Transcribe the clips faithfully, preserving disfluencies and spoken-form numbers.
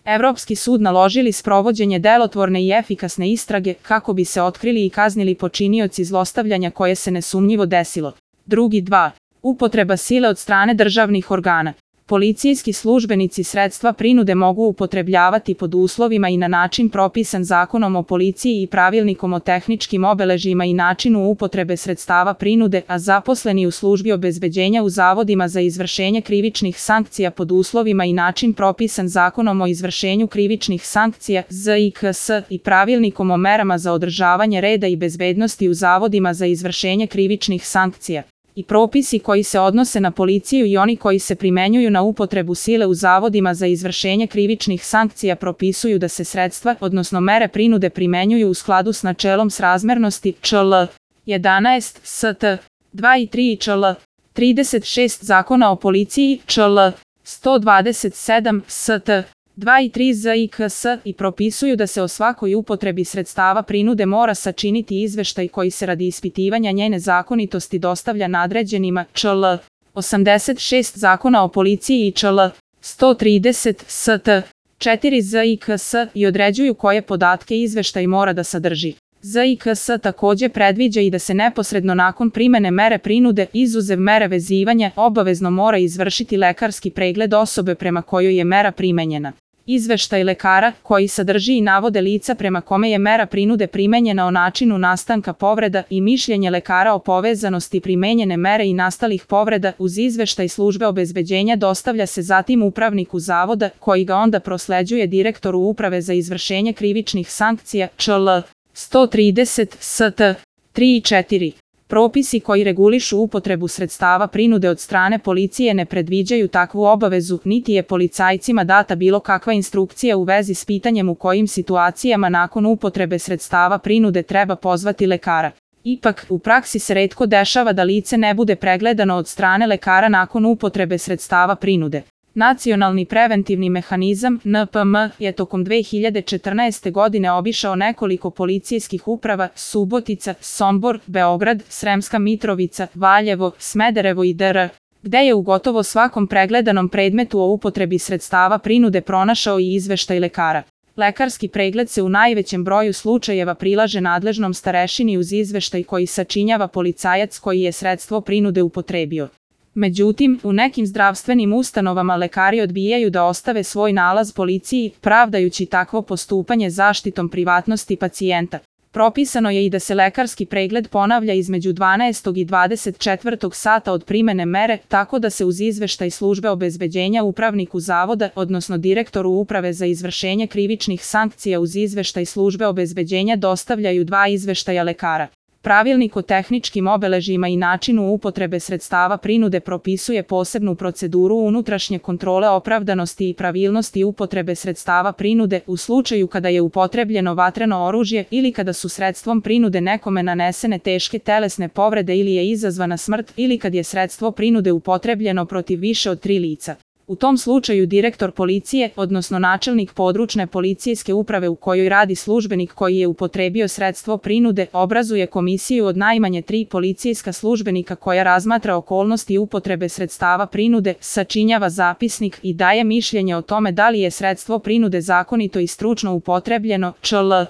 Evropski sud naložili sprovođenje delotvorne i efikasne istrage kako bi se otkrili i kaznili počinioci zlostavljanja koje se nesumnjivo desilo. Drugi dva. Upotreba sile od strane državnih organa. Policijski službenici sredstva prinude mogu upotrebljavati pod uslovima i na način propisan Zakonom o policiji i Pravilnikom o tehničkim obeležjima i načinu upotrebe sredstava prinude, a zaposleni u službi obezbeđenja u zavodima za izvršenje krivičnih sankcija pod uslovima i način propisan Zakonom o izvršenju krivičnih sankcija Z I K S i Pravilnikom o merama za održavanje reda i bezbednosti u zavodima za izvršenje krivičnih sankcija. I propisi koji se odnose na policiju i oni koji se primenjuju na upotrebu sile u zavodima za izvršenje krivičnih sankcija propisuju da se sredstva, odnosno mere prinude primenjuju u skladu s načelom srazmernosti Č L jedanaest S T dva i tri i Č L trideset šest Zakona o policiji Č L sto dvadeset sedam S T dva i tri Z I K S i propisuju da se o svakoj upotrebi sredstava prinude mora sačiniti izveštaj koji se radi ispitivanja njene zakonitosti dostavlja nadređenima Č L osamdeset šest Zakona o policiji i Č L sto trideset S T četiri Z I K S i određuju koje podatke izveštaj mora da sadrži. Z I K S takođe predviđa i da se neposredno nakon primene mere prinude, izuzev mere vezivanja, obavezno mora izvršiti lekarski pregled osobe prema kojoj je mera primenjena. Izveštaj lekara, koji sadrži i navode lica prema kome je mera prinude primenjena o načinu nastanka povreda i mišljenje lekara o povezanosti primenjene mere i nastalih povreda uz izveštaj službe obezbeđenja dostavlja se zatim upravniku zavoda, koji ga onda prosleđuje direktoru Uprave za izvršenje krivičnih sankcija Č L sto trideset S T tri i četiri. Propisi koji regulišu upotrebu sredstava prinude od strane policije ne predviđaju takvu obavezu, niti je policajcima data bilo kakva instrukcija u vezi s pitanjem u kojim situacijama nakon upotrebe sredstava prinude treba pozvati lekara. Ipak, u praksi se retko dešava da lice ne bude pregledano od strane lekara nakon upotrebe sredstava prinude. Nacionalni preventivni mehanizam N P M je tokom dve hiljade četrnaeste. godine obišao nekoliko policijskih uprava Subotica, Sombor, Beograd, Sremska Mitrovica, Valjevo, Smederevo i D R, gde je u gotovo svakom pregledanom predmetu o upotrebi sredstava prinude pronašao i izveštaj lekara. Lekarski pregled se u najvećem broju slučajeva prilaže nadležnom starešini uz izveštaj koji sačinjava policajac koji je sredstvo prinude upotrebio. Međutim, u nekim zdravstvenim ustanovama lekari odbijaju da ostave svoj nalaz policiji, pravdajući takvo postupanje zaštitom privatnosti pacijenta. Propisano je i da se lekarski pregled ponavlja između dvanaestog i dvadeset četvrtog sata od primene mere, tako da se uz izveštaj službe obezbeđenja upravniku zavoda, odnosno direktoru Uprave za izvršenje krivičnih sankcija uz izveštaj službe obezbeđenja dostavljaju dva izveštaja lekara. Pravilnik o tehničkim obeležjima i načinu upotrebe sredstava prinude propisuje posebnu proceduru unutrašnje kontrole opravdanosti i pravilnosti upotrebe sredstava prinude u slučaju kada je upotrebljeno vatreno oružje ili kada su sredstvom prinude nekome nanesene teške telesne povrede ili je izazvana smrt ili kad je sredstvo prinude upotrebljeno protiv više od tri lica. U tom slučaju direktor policije, odnosno načelnik područne policijske uprave u kojoj radi službenik koji je upotrebio sredstvo prinude, obrazuje komisiju od najmanje tri policijska službenika koja razmatra okolnosti upotrebe sredstava prinude, sačinjava zapisnik i daje mišljenje o tome da li je sredstvo prinude zakonito i stručno upotrebljeno Č L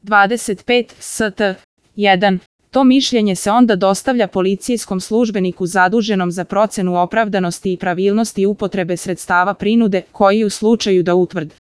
dvadeset pet S T jedan. To mišljenje se onda dostavlja policijskom službeniku zaduženom za procenu opravdanosti i pravilnosti upotrebe sredstava prinude, koji u slučaju da utvrdi